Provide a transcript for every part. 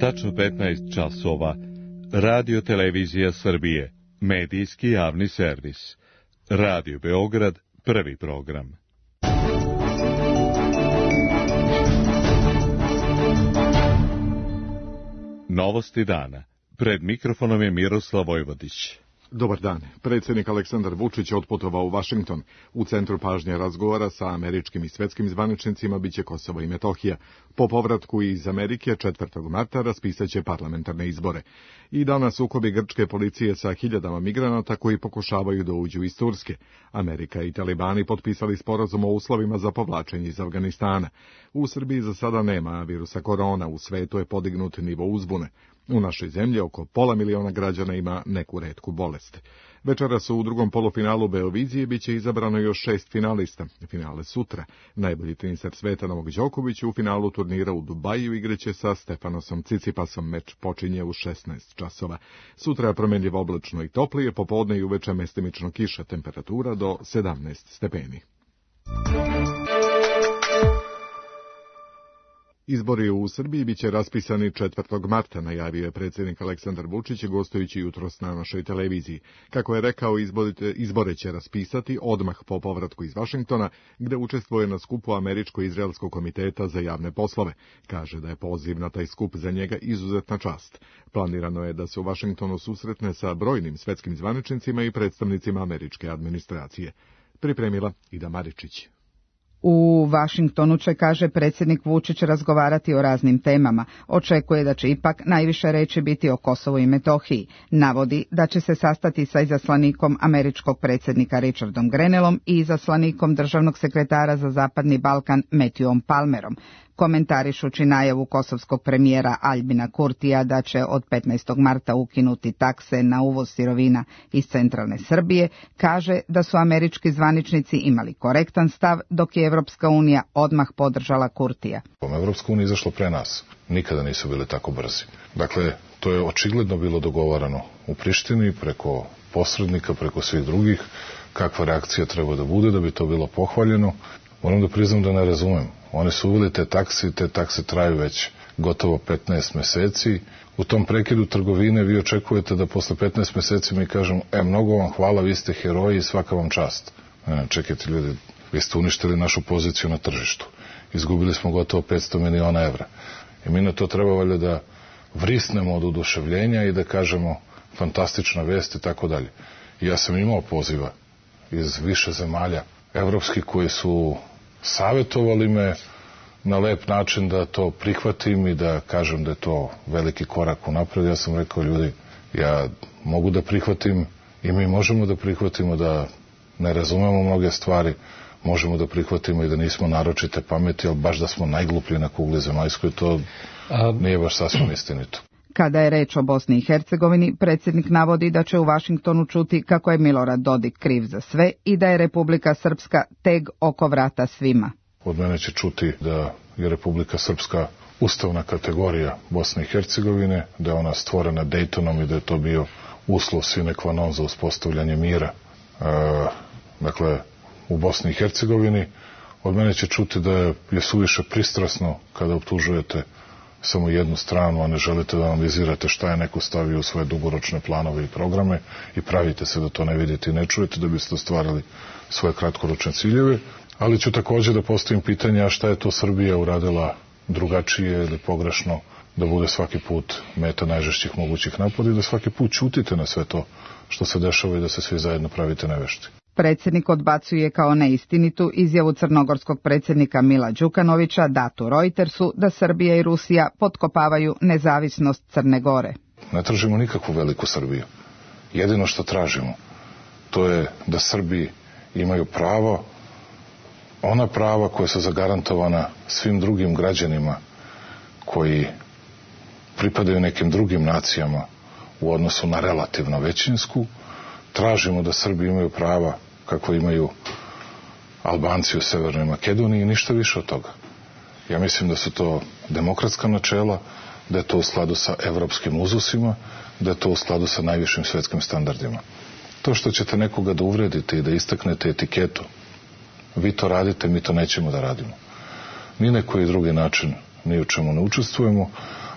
Tačno 15 časova. Radio Televizija Srbije. Medijski javni servis. Radio Beograd, prvi program. Novosti dana. Pred mikrofonom je Miroslav Vojvodić. Dobar dan. Predsjednik Aleksandar Vučić otputovao u Vašington. U centru pažnje razgovora sa američkim i svetskim zvaničnicima biće Kosovo i Metohija. Po povratku iz Amerike 4. marta raspisat će parlamentarne izbore. I danas sukobi grčke policije sa hiljadama migranata koji pokušavaju da uđu iz Turske. Amerika i talibani potpisali sporazum o uslovima za povlačenje iz Afganistana. U Srbiji za sada nema virusa korona, u svetu je podignut nivo uzbune. U našoj zemlji oko 500.000 građana ima neku retku bolest. Večeras u drugom polufinalu Beovizije biće izabrano još 6 finalista. Finale sutra. Najbolji teniser sveta Novak Đoković u finalu turnira u Dubaju igraće sa Stefanosom Cicipasom. Meč počinje u 16 časova. Sutra je promjenljivo oblačno i toplije, popodne i uveče mestimično kiša, temperatura do 17 stepeni. Izbori u Srbiji biće raspisani 4. marta, najavio je predsjednik Aleksandar Vučić gostujući jutros na našoj televiziji. Kako je rekao, izbore će raspisati odmah po povratku iz Vašingtona, gde učestvuje na skupu Američko-izraelskog komiteta za javne poslove. Kaže da je poziv na taj skup za njega izuzetna čast. Planirano je da se u Vašingtonu susretne sa brojnim svetskim zvaničnicima i predstavnicima američke administracije. Pripremila Ida Maričić. U Vašingtonu će, kaže predsjednik Vučić, razgovarati o raznim temama. Očekuje da će ipak najviše reći biti o Kosovu i Metohiji. Navodi da će se sastati sa izaslanikom američkog predsjednika Richardom Grenellom i izaslanikom državnog sekretara za Zapadni Balkan Matthewom Palmerom. Komentarišući najavu kosovskog premijera Aljbina Kurtija da će od 15. marta ukinuti takse na uvoz sirovina iz centralne Srbije, kaže da su američki zvaničnici imali korektan stav, dok je Evropska unija odmah podržala Kurtija. Evropska unija izašla pre nas. Nikada nisu bili tako brzi. Dakle, to je očigledno bilo dogovarano u Prištini, preko posrednika, preko svih drugih, kakva reakcija treba da bude da bi to bilo pohvaljeno. Moram da priznam da ne razumem. Oni su uveli te takse traju već gotovo 15 meseci. U tom prekidu trgovine vi očekujete da posle 15 meseci mi kažem, mnogo vam hvala, vi ste heroji i svaka vam čast. Čekajte ljudi, vi ste uništili našu poziciju na tržištu. Izgubili smo gotovo 500 miliona evra. I mi na to treba valjda da vrisnemo od oduševljenja i da kažemo fantastična vest i tako dalje. Ja sam imao poziva iz više zemalja evropski koji su savjetovali me na lep način da to prihvatim i da kažem da je to veliki korak unapred. Ja sam rekao, ljudi, ja mogu da prihvatim i mi možemo da prihvatimo da ne razumemo mnoge stvari, možemo da prihvatimo i da nismo naročite pameti, ali baš da smo najgluplji na kugli zemaljskoj, to nije baš sasvim istinito. Kada je reč o Bosni i Hercegovini, predsjednik navodi da će u Vašingtonu čuti kako je Milorad Dodik kriv za sve i da je Republika Srpska teg oko vrata svima. Od mene će čuti da je Republika Srpska ustavna kategorija Bosne i Hercegovine, da je ona stvorena Dejtonom i da je to bio uslov sine qua non za uspostavljanje mira. Dakle, u Bosni i Hercegovini od mene će čuti da je suviše pristrasno kada optužujete samo jednu stranu, a ne želite da analizirate šta je neko stavio u svoje dugoročne planove i programe i pravite se da to ne vidite i ne čujete da biste ostvarili svoje kratkoročne ciljeve. Ali ću također da postavim pitanje, a šta je to Srbija uradila drugačije ili pogrešno da bude svaki put meta najžešćih mogućih napada i da svaki put ćutite na sve to što se dešava i da se svi zajedno pravite nevešti. Predsjednik odbacuje kao neistinitu izjavu crnogorskog predsjednika Mila Đukanovića datu Reutersu da Srbija i Rusija potkopavaju nezavisnost Crne Gore. Ne tražimo nikakvu veliku Srbiju. Jedino što tražimo, to je da Srbi imaju pravo, ona prava koja su zagarantovana svim drugim građanima koji pripadaju nekim drugim nacijama u odnosu na relativno većinsku. Tražimo da Srbi imaju prava kako imaju Albanci u Severnoj Makedoniji i ništa više od toga. Ja mislim da su to demokratska načela, da je to u skladu sa evropskim uzusima, da je to u skladu sa najvišim svetskim standardima. To što ćete nekoga da uvredite i da istaknete etiketu, vi to radite, mi to nećemo da radimo. Ni na koji drugi način ni u čemu ne učestvujemo,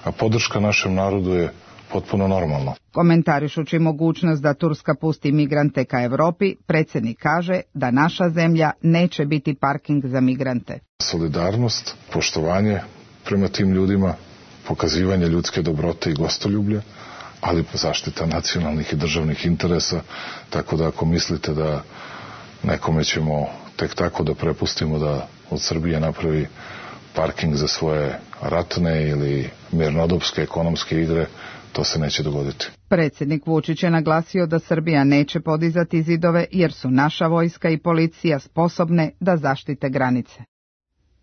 a podrška našem narodu je potpuno normalna. Komentarišući mogućnost da Turska pusti migrante ka Europi, predsjednik kaže da naša zemlja neće biti parking za migrante. Solidarnost, poštovanje prema tim ljudima, pokazivanje ljudske dobrote i gostoljublja, ali zaštita nacionalnih i državnih interesa, tako da ako mislite da nekome ćemo tek tako da prepustimo da od Srbije napravi parking za svoje ratne ili mirnodopske ekonomske igre, to se neće dogoditi. Predsjednik Vučić je naglasio da Srbija neće podizati zidove jer su naša vojska i policija sposobne da zaštite granice.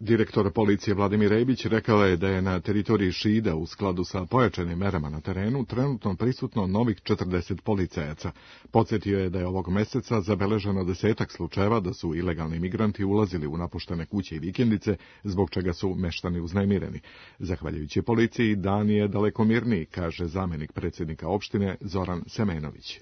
Direktor policije Vladimir Rebić rekao je da je na teritoriji Šida u skladu sa pojačanim merama na terenu trenutno prisutno novih 40 policajaca. Podsjetio je da je ovog meseca zabeleženo 10 slučajeva da su ilegalni migranti ulazili u napuštene kuće i vikendice, zbog čega su meštani uznemireni. Zahvaljujući policiji, dan je daleko mirniji, kaže zamjenik predsjednika opštine Zoran Semenović.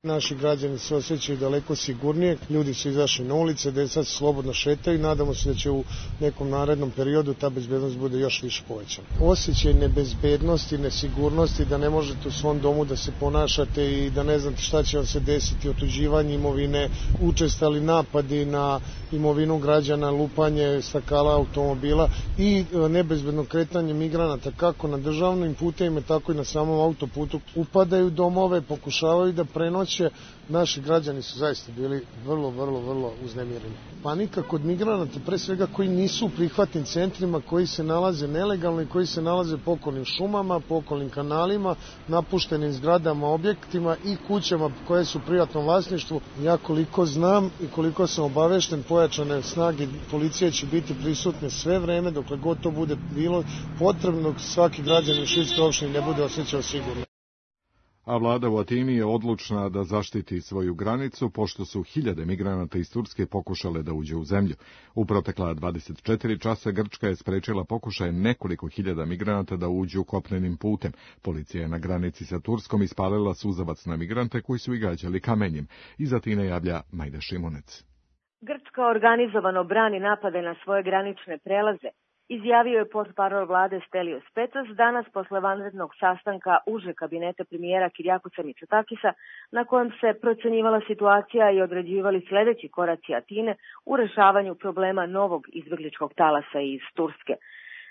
Naši građani se osjećaju daleko sigurnije, ljudi su izašli na ulice, deca se slobodno šetaju i nadamo se da će u nekom narednom periodu ta bezbednost bude još više povećana. Osjećaj nebezbednosti, nesigurnosti, da ne možete u svom domu da se ponašate i da ne znate šta će vam se desiti, otuđivanje imovine, učestali napadi na imovinu građana, lupanje stakala automobila i nebezbedno kretanje migranata kako na državnim putevima, tako i na samom autoputu. Upadaju domove, pokušavaju da prenoće. Naši građani su zaista bili vrlo uznemireni. Panika kod migranata, pre svega koji nisu u prihvatnim centrima, koji se nalaze nelegalno i koji se nalaze po okolnim šumama, po okolnim kanalima, napuštenim zgradama, objektima i kućama koje su u privatnom vlasništvu. Ja koliko znam i koliko sam obavešten, pojačane snage policije će biti prisutne sve vreme, dokle god to bude bilo potrebno, svaki građanin Šidske opštine ne bude osjećao sigurno. A vlada u Atini je odlučna da zaštiti svoju granicu, pošto su hiljade migranata iz Turske pokušale da uđe u zemlju. U protekla 24 časa Grčka je sprečila pokušaje nekoliko hiljada migranata da uđu kopnenim putem. Policija je na granici sa Turskom ispalila suzavac na migrante koji su ih gađali kamenjem. Iz Atine javlja Majda Šimunec. Grčka organizovano brani napade na svoje granične prelaze, izjavio je portparol vlade Stelios Petros danas posle vanrednog sastanka uže kabineta premijera Kirjakosa Mitsotakisa, na kojem se procenjivala situacija i određivali sljedeći koraci Atine u rešavanju problema novog izbegličkog talasa iz Turske.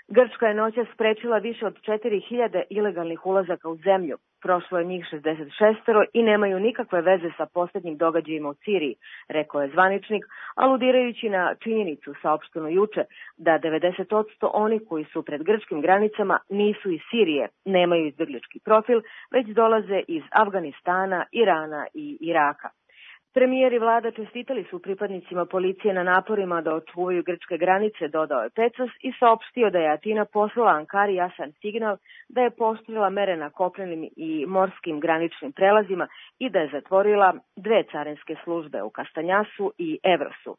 Grčka je noćas sprečila više od 4000 ilegalnih ulazaka u zemlju. Prošlo je njih 66 i nemaju nikakve veze sa posljednjim događajima u Siriji, rekao je zvaničnik, aludirajući na činjenicu saopštenu juče da 90% oni koji su pred grčkim granicama nisu iz Sirije, nemaju izbeglički profil, već dolaze iz Afganistana, Irana i Iraka. Premijer i vlada čestitali su pripadnicima policije na naporima da očuvaju grčke granice, dodao je Petros i saopštio da je Atina poslala Ankari jasan signal da je pooštrila mere na kopnenim i morskim graničnim prelazima i da je zatvorila 2 carinske službe u Kastanjasu i Evrosu.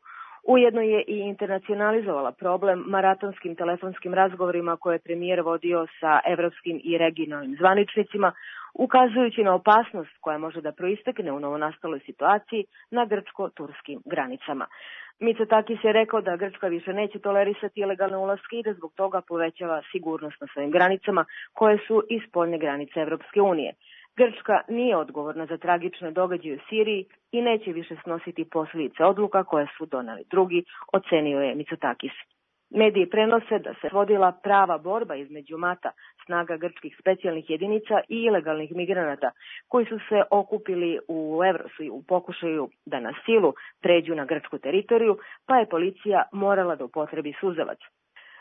Ujedno je i internacionalizovala problem maratonskim telefonskim razgovorima koje je premijer vodio sa evropskim i regionalnim zvaničnicima, ukazujući na opasnost koja može da proistekne u novonastaloj situaciji na grčko-turskim granicama. Mitsotakis je rekao da Grčka više neće tolerisati ilegalne ulaske i da zbog toga povećava sigurnost na svojim granicama koje su iz spoljne granice Evropske unije. Grčka nije odgovorna za tragične događaje u Siriji i neće više snositi posljedice odluka koje su doneli drugi, ocenio je Mitsotakis. Mediji prenose da se vodila prava borba između mata, snaga grčkih specijalnih jedinica i ilegalnih migranata koji su se okupili u Evrosu u pokušaju da na silu pređu na grčku teritoriju, pa je policija morala da upotrebi suzavac.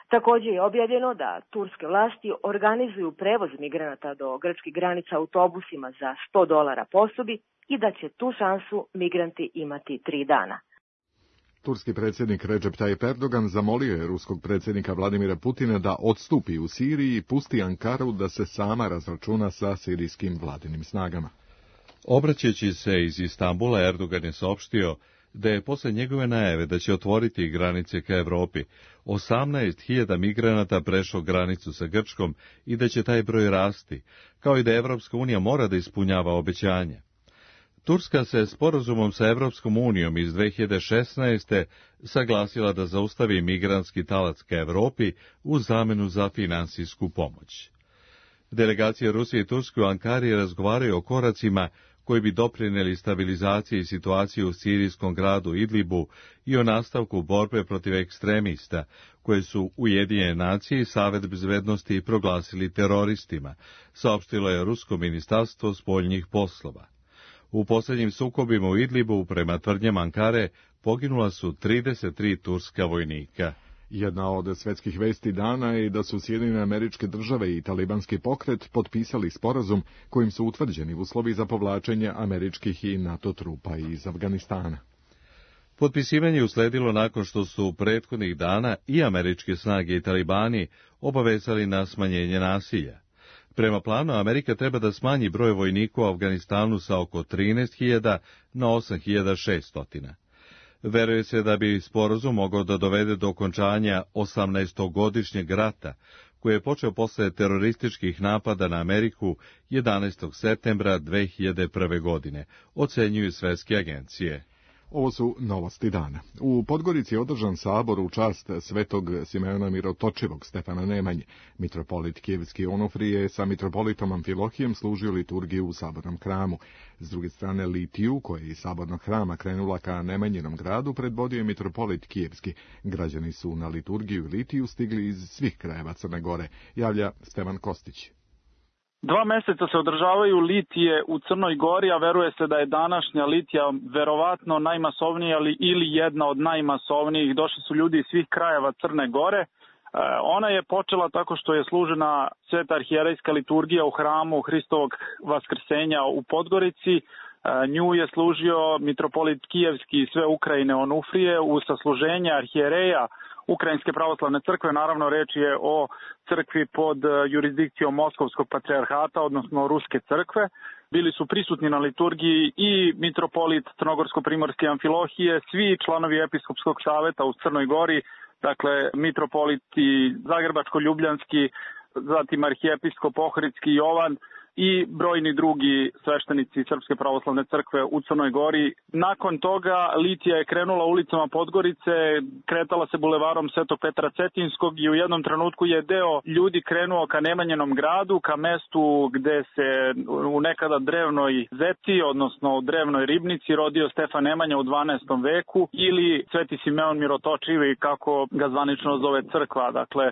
Također je objavljeno da turske vlasti organizuju prevoz migranata do grčkih granica autobusima za $100 po osobi i da će tu šansu migranti imati 3 dana. Turski predsjednik Recep Tayyip Erdogan zamolio je ruskog predsjednika Vladimira Putina da odstupi u Siriji i pusti Ankaru da se sama razračuna sa sirijskim vladinim snagama. Obraćajući se iz Istambula, Erdogan je saopštio da je posle njegove najave da će otvoriti granice ka Evropi 18.000 migranata prešlo granicu sa Grčkom i da će taj broj rasti, kao i da Evropska unija mora da ispunjava obećanja. Turska se sporazumom sa Evropskom unijom iz 2016. saglasila da zaustavi migrantski talac ka Evropi u zamenu za finansijsku pomoć. Delegacije Rusije i Turske u Ankari razgovaraju o koracima koji bi doprinijeli stabilizaciji situacije u sirijskom gradu Idlibu i o nastavku borbe protiv ekstremista, koje su Ujedinjene nacije i Savet bezbednosti proglasili teroristima, saopštilo je Rusko ministarstvo spoljnih poslova. U posljednjim sukobima u Idlibu, prema tvrdnjama Ankare, poginula su 33 turska vojnika. Jedna od svetskih vesti dana je da su Sjedinjene Američke Države i talibanski pokret potpisali sporazum kojim su utvrđeni uslovi za povlačenje američkih i NATO trupa iz Afganistana. Potpisivanje usledilo nakon što su prethodnih dana i američke snage i talibani obavezali na smanjenje nasilja. Prema planu, Amerika treba da smanji broj vojnika u Afganistanu sa oko 13.000 na 8.600. Veruje se da bi sporazum mogao da dovede do okončanja 18-godišnjeg rata, koji je počeo posle terorističkih napada na Ameriku 11. septembra 2001. godine, ocenjuju svetske agencije. Ovo su novosti dana. U Podgorici je održan sabor u čast svetog Simeona Mirotočivog Stefana Nemanje. Mitropolit Kijevski Onufrije sa mitropolitom Amfilohijem služio liturgiju u sabornom hramu. S druge strane, litiju, koja je iz sabornog hrama krenula ka Nemanjinom gradu, predvodio je mitropolit Kijevski. Građani su na liturgiju i litiju stigli iz svih krajeva Crne Gore, javlja Stevan Kostić. 2 meseca se održavaju litije u Crnoj Gori, a veruje se da je današnja litija verovatno najmasovnija ili jedna od najmasovnijih. Došli su ljudi iz svih krajeva Crne Gore. Ona je počela tako što je služena sveta arhijerejska liturgija u hramu Hristovog vaskrsenja u Podgorici. Nju je služio mitropolit Kijevski i sve Ukrajine Onufrije u sasluženje arhijereja Ukrajinske pravoslavne crkve. Naravno, reč je o crkvi pod jurisdikcijom Moskovskog patrijarhata, odnosno Ruske crkve. Bili su prisutni na liturgiji i mitropolit Crnogorsko-primorske Amfilohije, svi članovi episkopskog saveta u Crnoj Gori, dakle mitropoliti Zagrebačko-ljubljanski, zatim arhijepiskop Ohridski Jovan i brojni drugi sveštenici Srpske pravoslavne crkve u Crnoj Gori. Nakon toga litija je krenula ulicama Podgorice, kretala se bulevarom Svetog Petra Cetinskog i u jednom trenutku je deo ljudi krenuo ka Nemanjenom gradu, ka mestu gde se u nekada drevnoj zeci, odnosno drevnoj ribnici, rodio Stefan Nemanja u 12. veku ili Sveti Simeon Mirotočivi, kako ga zvanično zove crkva. Dakle,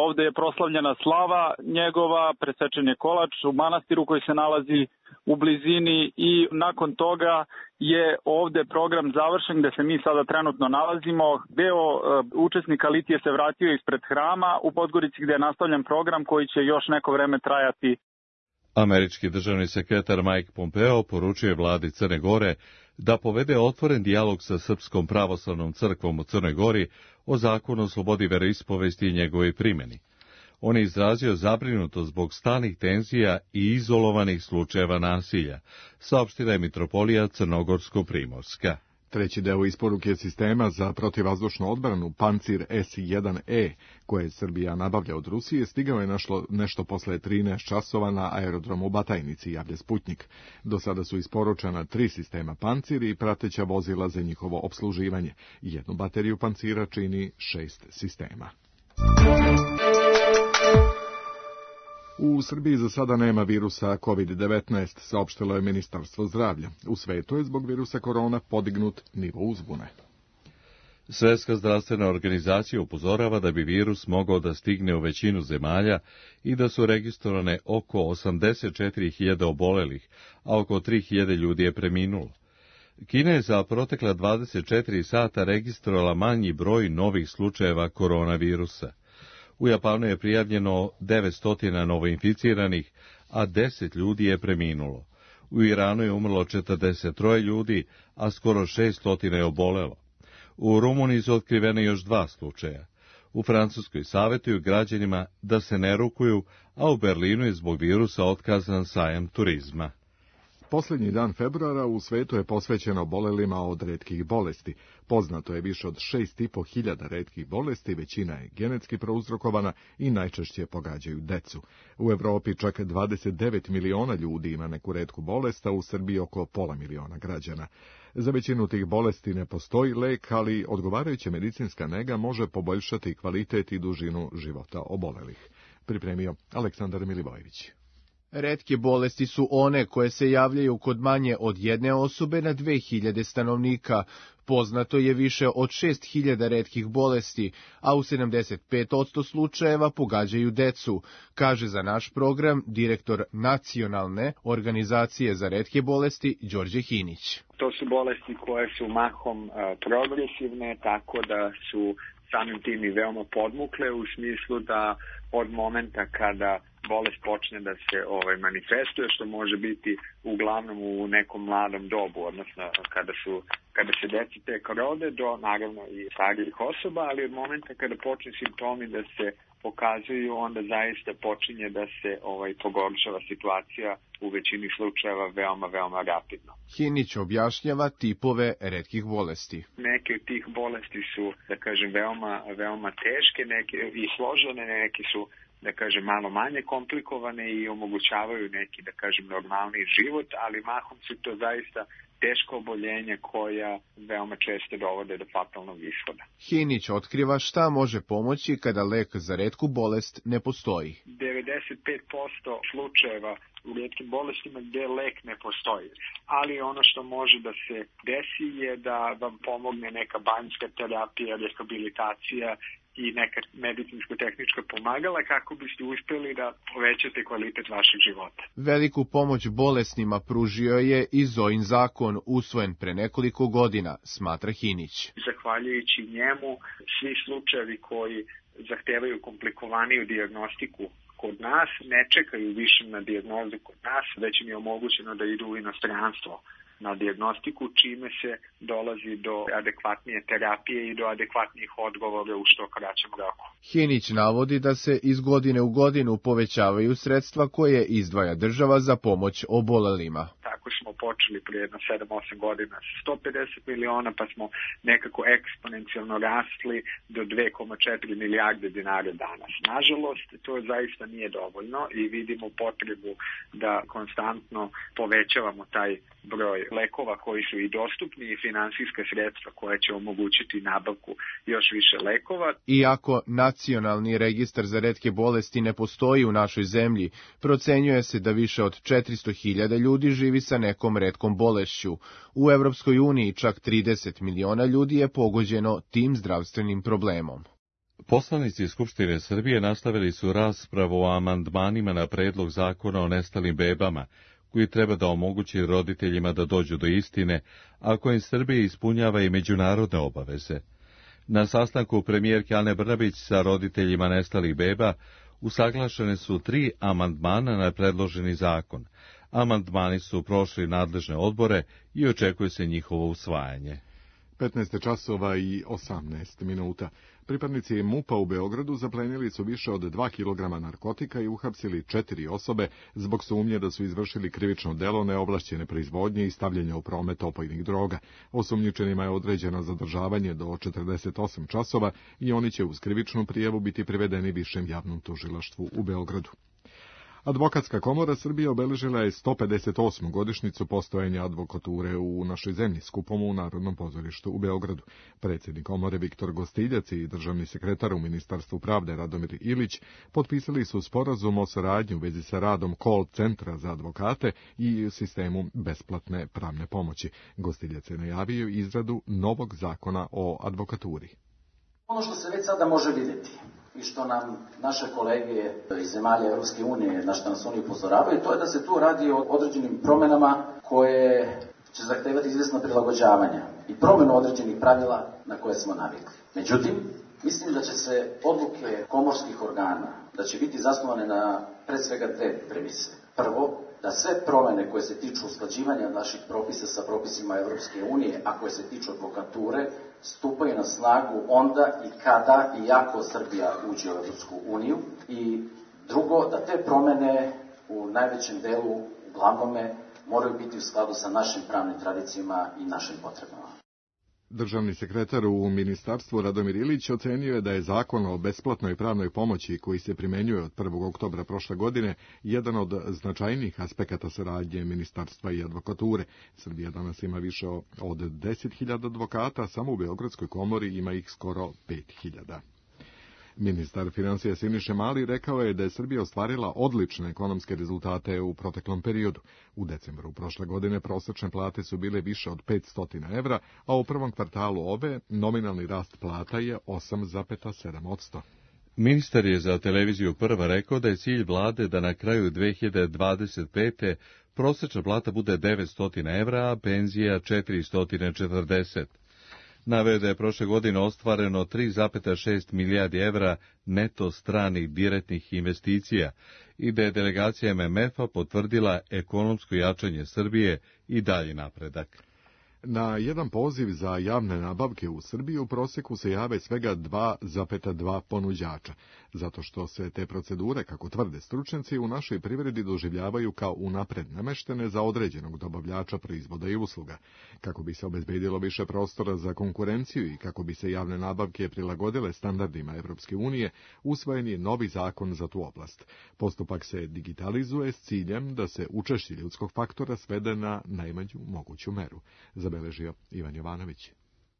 ovde je proslavljena slava njegova, presečen je kolač u manastiru koji se nalazi u blizini i nakon toga je ovde program završen gde se mi sada trenutno nalazimo. Deo učesnika litije se vratio ispred hrama u Podgorici gde je nastavljen program koji će još neko vreme trajati. Američki državni sekretar Mike Pompeo poručuje vladi Crne Gore da povede otvoren dijalog sa Srpskom pravoslavnom crkvom u Crnoj Gori o zakonu o slobodi veroispovesti i njegovoj primjeni. On je izrazio zabrinutost zbog stalnih tenzija i izolovanih slučajeva nasilja, saopštila je mitropolija Crnogorsko-primorska. Treći deo isporuke sistema za protivvazdušnu odbranu Pancir S-1E, koje Srbija nabavlja od Rusije, stigao je nešto posle 13 časova na aerodromu u Batajnici, javlja Sputnik. Do sada su isporučena 3 sistema Pancir i prateća vozila za njihovo opsluživanje. Jednu bateriju Pancira čini 6 sistema. U Srbiji za sada nema virusa COVID-19, saopštilo je Ministarstvo zdravlja. U svetu je zbog virusa korona podignut nivo uzbune. Svjetska zdravstvena organizacija upozorava da bi virus mogao da stigne u većinu zemalja i da su registrovane oko 84.000 obolelih, a oko 3.000 ljudi je preminulo. Kina je za protekla 24 sata registrovala manji broj novih slučajeva koronavirusa. U Japanu je prijavljeno 900 novoinficiranih, a 10 ljudi je preminulo. U Iranu je umrlo 43 ljudi, a skoro 600 je obolelo. U Rumuniji su otkrivene još 2 slučaja. U Francuskoj savjetuju građanima da se ne rukuju, a u Berlinu je zbog virusa otkazan sajam turizma. Posljednji dan februara u svetu je posvećen obolelima od retkih bolesti. Poznato je više od 6.500 retkih bolesti, većina je genetski prouzrokovana i najčešće pogađaju decu. U Evropi čak 29 miliona ljudi ima neku retku bolest, a u Srbiji oko pola miliona građana. Za većinu tih bolesti ne postoji lek, ali odgovarajuća medicinska nega može poboljšati kvalitet i dužinu života obolelih. pripremio Aleksandar Milivojević. Retke bolesti su one koje se javljaju kod manje od jedne osobe na 2000 stanovnika. Poznato je više od 6000 retkih bolesti, a u 75% slučajeva pogađaju decu, kaže za naš program direktor Nacionalne organizacije za retke bolesti Đorđe Hinić. To su bolesti koje su mahom progresivne, tako da su samim tim i veoma podmukle u smislu da od momenta kada bolest počne da se manifestuje, što može biti uglavnom u nekom mladom dobu, odnosno kada se deca tek rode do naravno i starijih osoba, ali od momenta kada počne simptomi da se pokazuju, onda zaista počinje da se pogoršava situacija u većini slučajeva veoma rapidno. Hinić objašnjava tipove retkih bolesti. Neke od tih bolesti su, da kažem, veoma teške, neke i složene, neke su, da kažem, malo manje komplikovane i omogućavaju neki, da kažem, normalni život, ali mahom su to zaista teško oboljenja koja veoma često dovode do fatalnog ishoda. Hinić otkriva šta može pomoći kada lek za retku bolest ne postoji. 95% slučajeva u retkim bolestima gde lek ne postoji, ali ono što može da se desi je da vam pomogne neka banjska terapija, rehabilitacija i neka medicinsko-tehnička pomagala kako biste uspeli da povećate kvalitet vašeg života. Veliku pomoć bolesnima pružio je i Zojin zakon, usvojen pre nekoliko godina, smatra Hinić. Zahvaljujući njemu, svi slučajevi koji zahtevaju komplikovaniju dijagnostiku kod nas ne čekaju više na dijagnozu kod nas, već im je omogućeno da idu u inostranstvo na dijagnostiku, čime se dolazi do adekvatnije terapije i do adekvatnijih odgovora u što kraćem roku. Hinić navodi da se iz godine u godinu povećavaju sredstva koje izdvaja država za pomoć obolelima. Tako smo počeli prije jedno 7-8 godina sa 150 miliona, pa smo nekako eksponencijalno rasli do 2,4 milijarde dinara danas. Nažalost, to zaista nije dovoljno i vidimo potrebu da konstantno povećavamo taj broj lekova koji su i dostupni i finansijska sredstva koja će omogućiti nabavku još više lekova. Iako nacionalni registar za retke bolesti ne postoji u našoj zemlji, procenjuje se da više od 400.000 ljudi živi sa nekom retkom bolešću. U Evropskoj uniji čak 30 miliona ljudi je pogođeno tim zdravstvenim problemom. Poslanici Skupštine Srbije nastavili su raspravu o amandmanima na predlog zakona o nestalim bebama, koji treba da omogući roditeljima da dođu do istine, a kojim Srbija ispunjava i međunarodne obaveze. Na sastanku premijerke Ane Brnabić sa roditeljima nestalih beba usaglašene su 3 amandmana na predloženi zakon. Amandmani su prošli nadležne odbore i očekuje se njihovo usvajanje. 15 časova i 18 minuta. Pripadnici MUP-a u Beogradu zaplenili su više od 2 kg narkotika i uhapsili 4 osobe zbog sumnje da su izvršili krivično delo neovlašćene proizvodnje i stavljanja u promet opojnih droga. Osumnjičenima je određeno zadržavanje do 48 časova i oni će uz krivičnu prijavu biti privedeni Višem javnom tužilaštvu u Beogradu. Advokatska komora Srbije obeležila je 158. godišnjicu postojanja advokature u našoj zemlji, skupom u Narodnom pozorištu u Beogradu. Predsjednik komore Viktor Gostiljac i državni sekretar u Ministarstvu pravde Radomir Ilić potpisali su sporazum o saradnji u vezi sa radom call centra za advokate i sistemu besplatne pravne pomoći. Gostiljac je najavio izradu novog zakona o advokaturi. Ono što se već sada može vidjeti i što nam naše kolege iz zemalja Evropske unije, na što nas oni upozoravaju, to je da se tu radi o određenim promjenama koje će zahtevati izvjesno prilagođavanja i promjenu određenih pravila na koje smo navikli. Međutim, mislim da će se odluke komorskih organa, da će biti zasnovane na pred svega 2 premise. Prvo, da sve promjene koje se tiču usklađivanja naših propisa sa propisima Evropske unije, a koje se tiču advokature, stupaju na snagu onda i kada i ako Srbija uđe u Evropsku uniju. I drugo, da te promjene u najvećem delu, uglavnome, moraju biti u skladu sa našim pravnim tradicijama i našim potrebama. Državni sekretar u ministarstvu Radomir Ilić ocenio je da je zakon o besplatnoj pravnoj pomoći koji se primjenjuje od 1. oktobra prošle godine jedan od značajnijih aspekata saradnje ministarstva i advokature. Srbija danas ima više od 10.000 advokata, samo u Beogradskoj komori ima ih skoro 5.000. Ministar financija Siniša Mali rekao je da je Srbija ostvarila odlične ekonomske rezultate u proteklom periodu. U decembru prošle godine prosečne plate su bile više od 500 evra, a u prvom kvartalu ove nominalni rast plata je 8,7%. Ministar je za televiziju Prva rekao da je cilj vlade da na kraju 2025. prosečna plata bude 900 evra, a penzija 440. Naveo da je prošle godine ostvareno 3,6 milijardi evra neto stranih direktnih investicija i da je delegacija MMF-a potvrdila ekonomsko jačanje Srbije i dalji napredak. Na jedan poziv za javne nabavke u Srbiji u prosjeku se jave svega 2,2 ponuđača, zato što se te procedure, kako tvrde stručnjaci, u našoj privredi doživljavaju kao unapred nameštene za određenog dobavljača proizvoda i usluga. Kako bi se obezbedilo više prostora za konkurenciju i kako bi se javne nabavke prilagodile standardima Evropske unije, usvojen je novi zakon za tu oblast. Postupak se digitalizuje s ciljem da se učešće ljudskog faktora svede na najmanju moguću meru. Zabeležio Ivan Jovanović.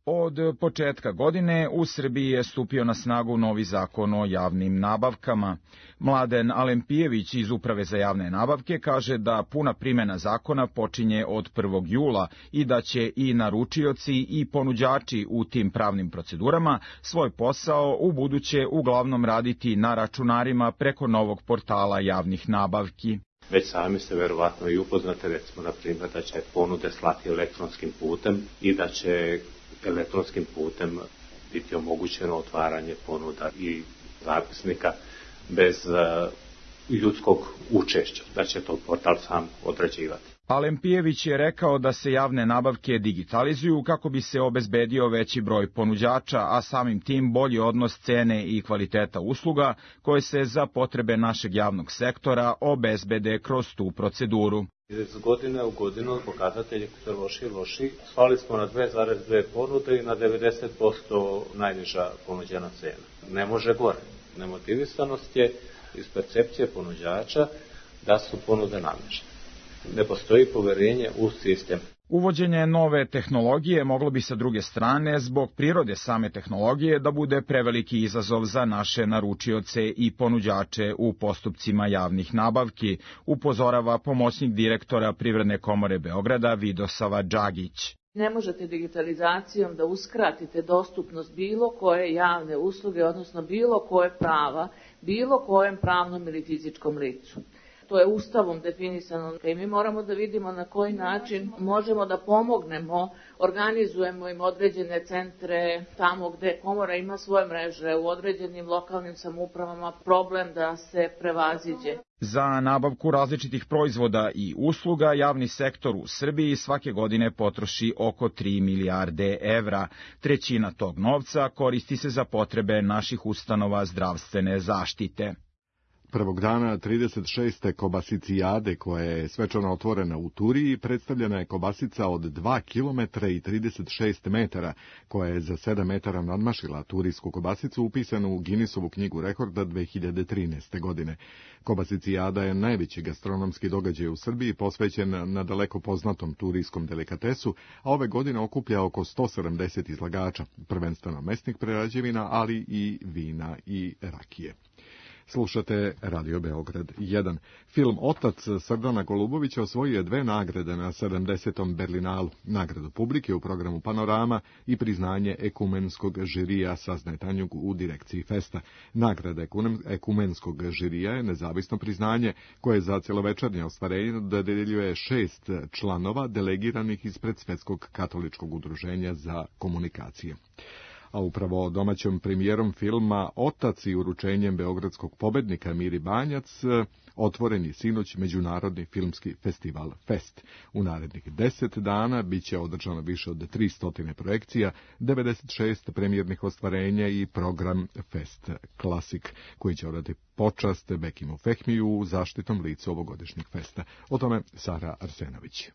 Od početka godine u Srbiji je stupio na snagu novi zakon o javnim nabavkama. Mladen Alempijević iz Uprave za javne nabavke kaže da puna primjena zakona počinje od 1. jula i da će i naručioci i ponuđači u tim pravnim procedurama svoj posao u buduće uglavnom raditi na računarima preko novog portala javnih nabavki. Već sami ste verovatno i upoznate, recimo, na primjer, da će ponude slati elektronskim putem i da će elektronskim putem biti omogućeno otvaranje ponuda i zapisnika bez ljudskog učešća, da će to portal sam određivati. Alempijević je rekao da se javne nabavke digitalizuju kako bi se obezbedio veći broj ponuđača, a samim tim bolji odnos cene i kvaliteta usluga koje se za potrebe našeg javnog sektora obezbede kroz tu proceduru. Iz godine u godinu pokazatelji su loši i loši. Svali smo na 2,2 ponude i na 90% najniža ponuđena cena. Ne može gore. Nemotivisanost je iz percepcije ponuđača da su ponude namještene. Ne postoji poverenje u sistem. Uvođenje nove tehnologije moglo bi sa druge strane, zbog prirode same tehnologije, da bude preveliki izazov za naše naručioce i ponuđače u postupcima javnih nabavki, upozorava pomoćnik direktora Privredne komore Beograda Vidosava Džagić. Ne možete digitalizacijom da uskratite dostupnost bilo koje javne usluge, odnosno bilo koje prava, bilo kojem pravnom ili fizičkom licu. To je Ustavom definisano i mi moramo da vidimo na koji način možemo da pomognemo, organizujemo im određene centre tamo gde komora ima svoje mreže, u određenim lokalnim samoupravama, problem da se prevaziđe. Za nabavku različitih proizvoda i usluga javni sektor u Srbiji svake godine potroši oko 3 milijarde evra. Trećina tog novca koristi se za potrebe naših ustanova zdravstvene zaštite. Prvog dana 36. kobasicijade, koja je svečano otvorena u Turiji, predstavljena je kobasica od 2 km i 36 metara, koja je za 7 metara nadmašila turijsku kobasicu upisanu u Guinnessovu knjigu rekorda 2013. godine. Kobasicijada je najveći gastronomski događaj u Srbiji, posvećen na daleko poznatom turijskom delikatesu, a ove godine okuplja oko 170 izlagača, prvenstveno mesnih prerađevina, ali i vina i rakije. Slušate Radio Beograd 1. Film Otac Srdana Golubovića osvojio je 2 nagrade na 70. Berlinalu, nagradu publike u programu Panorama i priznanje ekumenskog žirija, saznaje Tanjug u direkciji Festa. Nagrada ekumenskog žirija je nezavisno priznanje koje za cjelovečernje ostvarenje dodeljuje 6 članova delegiranih ispred Svetskog katoličkog udruženja za komunikacije. A upravo domaćom premijerom filma Otac i uručenjem beogradskog pobednika Miri Banjac otvoren je sinoć Međunarodni filmski festival Fest. U narednih 10 dana bit će održano više od 300 projekcija, 96 premijernih ostvarenja i program Fest Klasik, koji će odati počast Bekimu Fehmiju u zaštitnom licu ovogodišnjeg festa. O tome Sara Arsenović.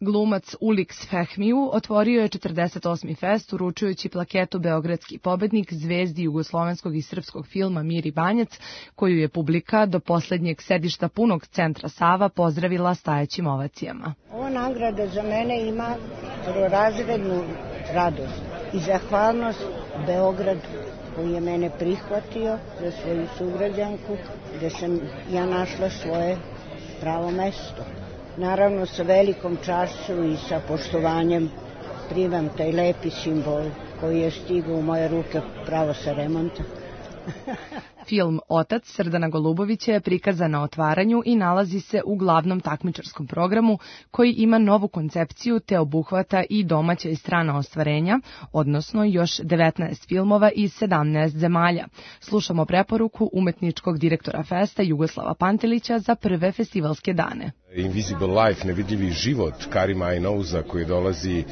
Glumac Ulix Fehmiju otvorio je 48. fest uručujući plaketu Beogradski pobednik zvezdi jugoslovenskog i srpskog filma Miri Banjac, koju je publika do posljednjeg sedišta punog centra Sava pozdravila stajećim ovacijama. Ova nagrada za mene ima prvorazrednu radost i zahvalnost Beogradu koji je mene prihvatio za svoju sugrađanku, gde sam ja našla svoje pravo mesto. Naravno, sa velikom čašću i sa poštovanjem primam taj lepi simbol koji je stigao u moje ruke pravo sa remonta. Film Otac Srdana Golubovića je prikazan na otvaranju i nalazi se u glavnom takmičarskom programu koji ima novu koncepciju te obuhvata i domaća i strana ostvarenja, odnosno još 19 filmova iz 17 zemalja. Slušamo preporuku umetničkog direktora festa Jugoslava Pantelića za prve festivalske dane. Invisible Life, nevidljivi život Karima Ainouza koji dolazi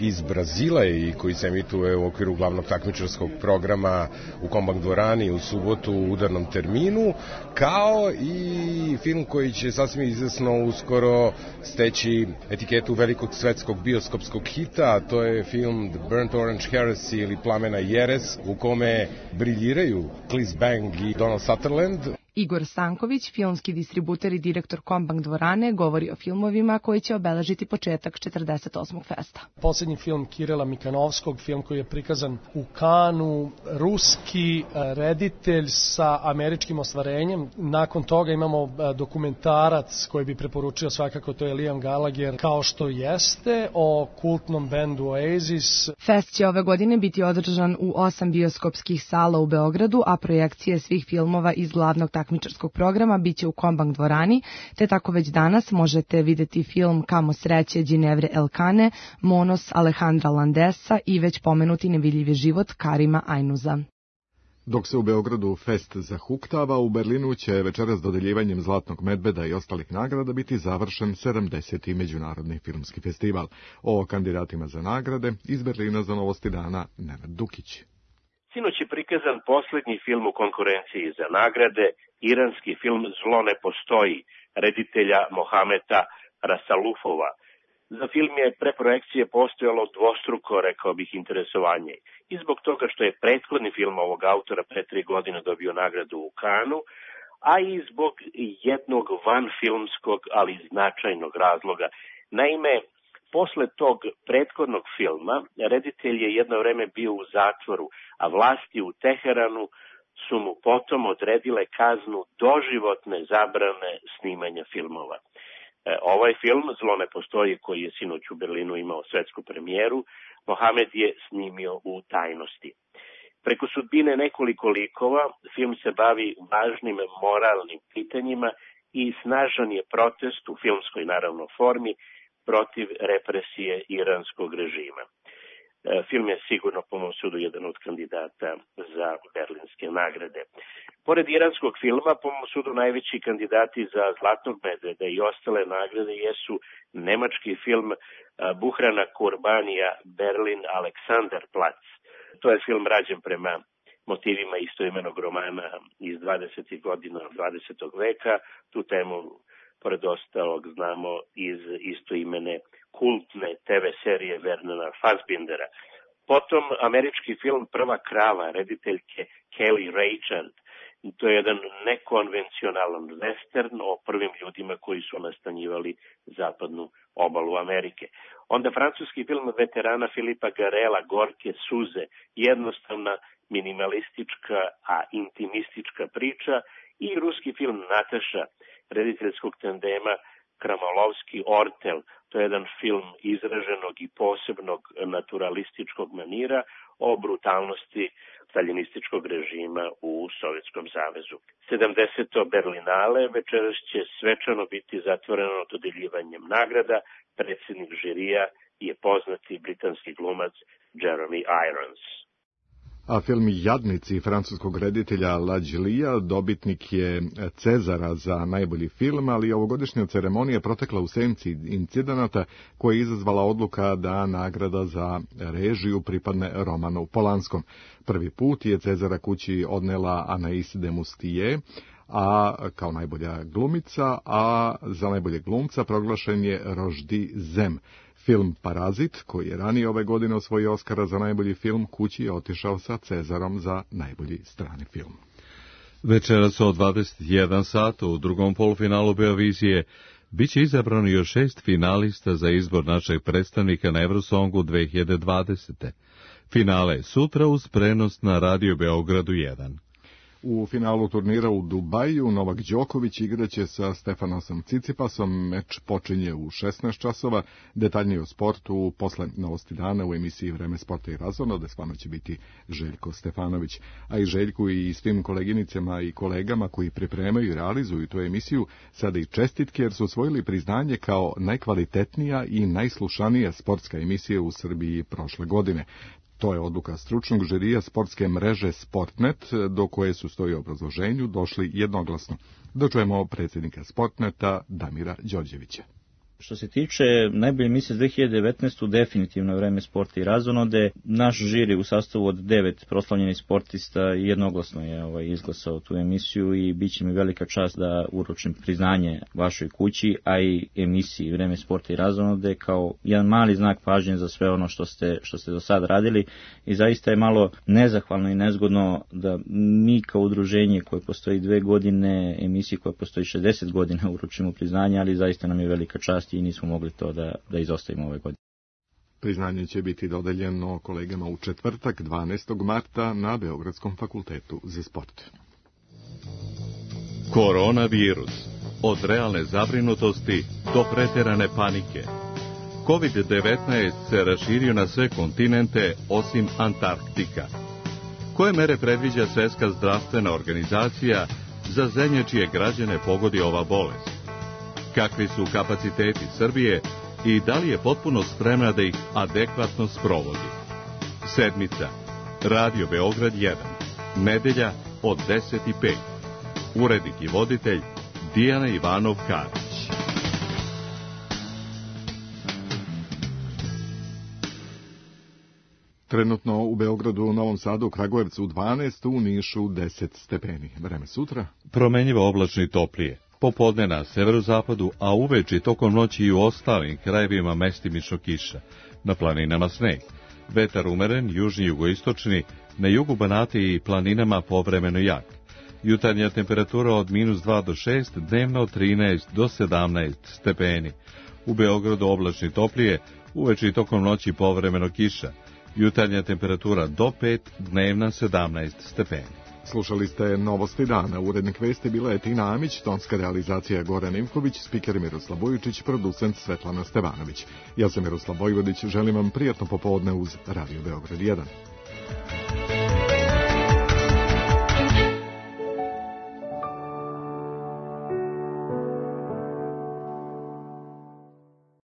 iz Brazila i koji se emituje u okviru glavnog takmičarskog programa u Kombank dvorani u subotu u udarnom terminu, kao i film koji će sasvim izvesno uskoro steći etiketu velikog svetskog bioskopskog hita, a to je film The Burnt Orange Heresy ili Plamena jeres, u kome briljiraju Cliff Bang i Donald Sutherland. Igor Stanković, filmski distributer i direktor Kombank dvorane, govori o filmovima koji će obeležiti početak 48. festa. Poslednji film Kirila Mikanovskog, film koji je prikazan u Kanu, ruski reditelj sa američkim ostvarenjem. Nakon toga imamo dokumentarac koji bi preporučio svakako, to je Liam Gallagher, Kao što jeste, o kultnom bendu Oasis. Fest će ove godine biti održan u 8 bioskopskih sala u Beogradu, a projekcije svih filmova iz glavnog takmičarskog programa biće u Kombank dvorani, te tako već danas možete videti film Kamo sreće Ginevre Elkane, Monos Alejandra Landesa i već pomenuti Nevidljivi život Karima Ainouza. Dok se u Beogradu fest zahuktava, u Berlinu će večeras dodeljivanjem Zlatnog medveda i ostalih nagrada biti završen 70. međunarodni filmski festival. O kandidatima za nagrade iz Berlina za Novosti dana Nenad Dukić. Sinoć je prikazan poslednji film u konkurenciji za nagrade, iranski film Zlo ne postoji, reditelja Mohameta Rasalufova. Za film je pre projekcije postojalo dvostruko, rekao bih, interesovanje. I zbog toga što je prethodni film ovog autora pre 3 godine dobio nagradu u Kanu, a i zbog jednog vanfilmskog, ali značajnog razloga. Naime, posle tog prethodnog filma, reditelj je jedno vreme bio u zatvoru, a vlasti u Teheranu su mu potom odredile kaznu doživotne zabrane snimanja filmova. Ovaj film, Zlo ne postoji, koji je sinoć u Berlinu imao svetsku premijeru, Mohamed je snimio u tajnosti. Preko sudbine nekoliko likova, film se bavi važnim moralnim pitanjima i snažan je protest u filmskoj, naravno, formi protiv represije iranskog režima. Film je sigurno po mom sudu jedan od kandidata za berlinske nagrade. Pored iranskog filma, po mom sudu najveći kandidati za Zlatnog medveda i ostale nagrade jesu nemački film Buhrana Kurbanija Berlin Alexanderplatz. To je film rađen prema motivima istoimenog romana iz 20. godina 20. veka. Tu temu, pored ostalog, znamo iz istoimene kultne TV serije Wernera Fassbindera. Potom američki film Prva krava, rediteljke Kelly Reichardt. To je jedan nekonvencionalan western o prvim ljudima koji su nastanjivali zapadnu obalu Amerike. Onda francuski film veterana Filipa Garela Gorke suze, jednostavna, minimalistička, a intimistička priča, i ruski film Nataša, rediteljskog tandema Kramolovski-Ortel. To je jedan film izraženog i posebnog naturalističkog manira o brutalnosti staljinističkog režima u Sovjetskom savezu. 70. Berlinale večeras će svečano biti zatvoreno dodeljivanjem nagrada. Predsjednik žirija je poznati britanski glumac Jeremy Irons. A film Jadnici francuskog reditelja Lajlija dobitnik je Cezara za najbolji film, ali ovogodišnja ceremonija protekla u senci incidenata koja je izazvala odluka da nagrada za režiju pripadne Romanu Polanskom. Prvi put je Cezara kući odnela Anaïs de Moustier, a kao najbolja glumica, a za najboljeg glumca proglašen je Roždi Zem. Film Parazit, koji je ranije ove godine osvojio Oskara za najbolji film, kući je otišao sa Cezarom za najbolji strani film. Večeras od 21 sata u drugom polufinalu Beovizije biće izabrano još 6 finalista za izbor našeg predstavnika na Eurosongu 2020. Finale je sutra uz prenos na Radio Beogradu 1. U finalu turnira u Dubaju Novak Đoković igraće sa Stefanosom Cicipasom. Meč počinje u 16 časova. Detaljnije o sportu posle Novosti dana u emisiji Vreme sporta i razona, gde s vama će biti Željko Stefanović. A i Željku i svim koleginicama i kolegama koji pripremaju i realizuju tu emisiju sada i čestitke, jer su osvojili priznanje kao najkvalitetnija i najslušanija sportska emisija u Srbiji prošle godine. To je odluka stručnog žirija sportske mreže Sportnet, do koje su stoji obrazloženju došli jednoglasno. Dočujemo predsjednika Sportneta Damira Đorđevića. Što se tiče najbolje emisije za 2019. definitivno Vreme sporta i razonode. Naš žiri u sastavu od 9 proslavljenih sportista jednoglasno je izglasao tu emisiju i bit će mi velika čast da uručim priznanje vašoj kući, a i emisiji Vreme sporta i razonode kao jedan mali znak pažnje za sve ono što ste do sad radili i zaista je malo nezahvalno i nezgodno da mi kao udruženje koje postoji 2 godine, emisiji koja postoji 60 godina uručimo priznanje, ali zaista nam je velika čast i nismo mogli to da izostavimo ove godine. Priznanje će biti dodeljeno kolegama u četvrtak 12. marta na Beogradskom fakultetu za sport. Koronavirus. Od realne zabrinutosti do preterane panike. COVID-19 se raširio na sve kontinente osim Antarktika. Koje mere predviđa Svjetska zdravstvena organizacija za zemlje čije građane pogodi ova bolest? Kakvi su kapaciteti Srbije i da li je potpuno spremna da ih adekvatno sprovodi? Sedmica. Radio Beograd 1. Nedelja od 10:05. Urednik i voditelj Dijana Ivanov-Karić. Trenutno u Beogradu, u Novom Sadu, u Kragujevcu 12, u Nišu 10 stepeni. Vreme sutra. Promenjivo oblačno i toplije. Popodne na severozapadu, a uveče tokom noći i u ostalim krajevima mestimično kiša. Na planinama sneg. Vetar umeren, južni jugoistočni, na jugu Banata i planinama povremeno jak. Jutarnja temperatura od -2 do 6, dnevno od 13 do 17 stepeni. U Beogradu oblačno i toplije, uveče i tokom noći povremeno kiša. Jutarnja temperatura do 5, dnevna 17 stepeni. Slušali ste Novosti dana. Urednik vesti bila je Tina Amić, tonska realizacija Goran Ivković, spiker Miroslav Bojičić, producent Svetlana Stevanović. Ja sam Miroslav Vojvodić, želim vam prijatno popodne uz Radio Beograd 1.